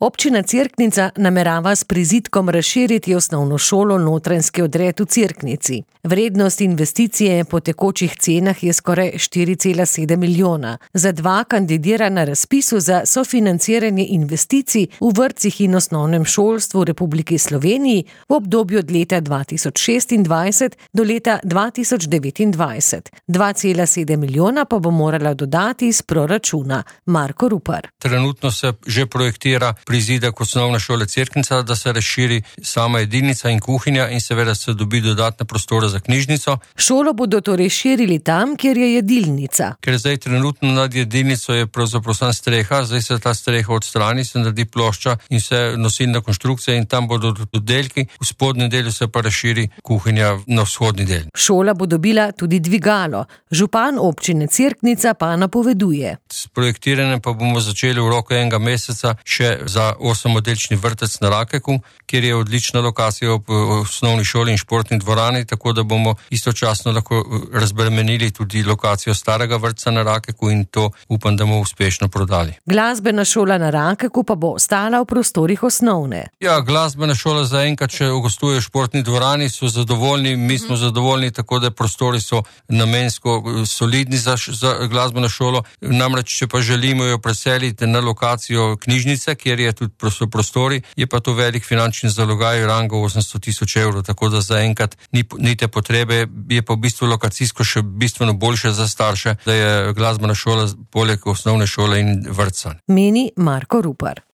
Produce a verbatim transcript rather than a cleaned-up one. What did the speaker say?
Občina Cerknica namerava s prizidkom razširiti osnovno šolo Notranjski odred v Cerknici. Vrednost investicije po tekočih cenah je skoraj štiri cela sedem milijona. Za dva kandidira na razpisu za sofinanciranje investicij v vrtcih in osnovnem šolstvu v Republiki Sloveniji v obdobju od leta dva tisoč šestindvajset do leta dva tisoč devetindvajset. dva cela sedem milijona pa bo morala dodati iz proračuna. Marko Rupar. Trenutno se že projektira prizidek osnovne šole Cerknica, da se razširi sama jedilnica in kuhinja in seveda se dobi dodatne prostore za knjižnico. Šolo bodo torej širili tam, kjer je jedilnica. Ker zdaj trenutno nad jedilnico je pravzaprav samo streha, zdaj se ta streha odstrani, se naredi plošča in vse nosilna konstrukcija in tam bodo oddelki, v spodnjem delu se pa razširi kuhinja na vzhodni del. Šola bo dobila tudi dvigalo. Župan občine Cerknica pa napoveduje. S projektiranjem pa bomo začeli v roku enega meseca še za osemoddelčni vrtec na Rakeku, kjer je odlična lokacija ob osnovni šoli in športni dvorani, tako da bomo istočasno lahko razbremenili tudi lokacijo starega vrtca na Rakeku in to upam, da bomo uspešno prodali. Glasbena šola na Rakeku pa bo ostala v prostorih osnovne. Ja, glasbena šola zaenkrat, če gostuje v športni dvorani, so zadovoljni, mi smo zadovoljni, tako da prostori so namensko solidni za, za glasbeno šolo. Namreč, če pa želimo jo preseliti na lokacijo knjižnice, kjer je tudi prostori, je pa to velik finančni zalogaj ranga osemsto tisoč evrov, tako da zaenkrat ni, ni te potrebe, je pa v bistvu lokacijsko še bistveno boljše za starše, da je glasbena šola poleg osnovne šole in vrtca. Meni Marko Rupar.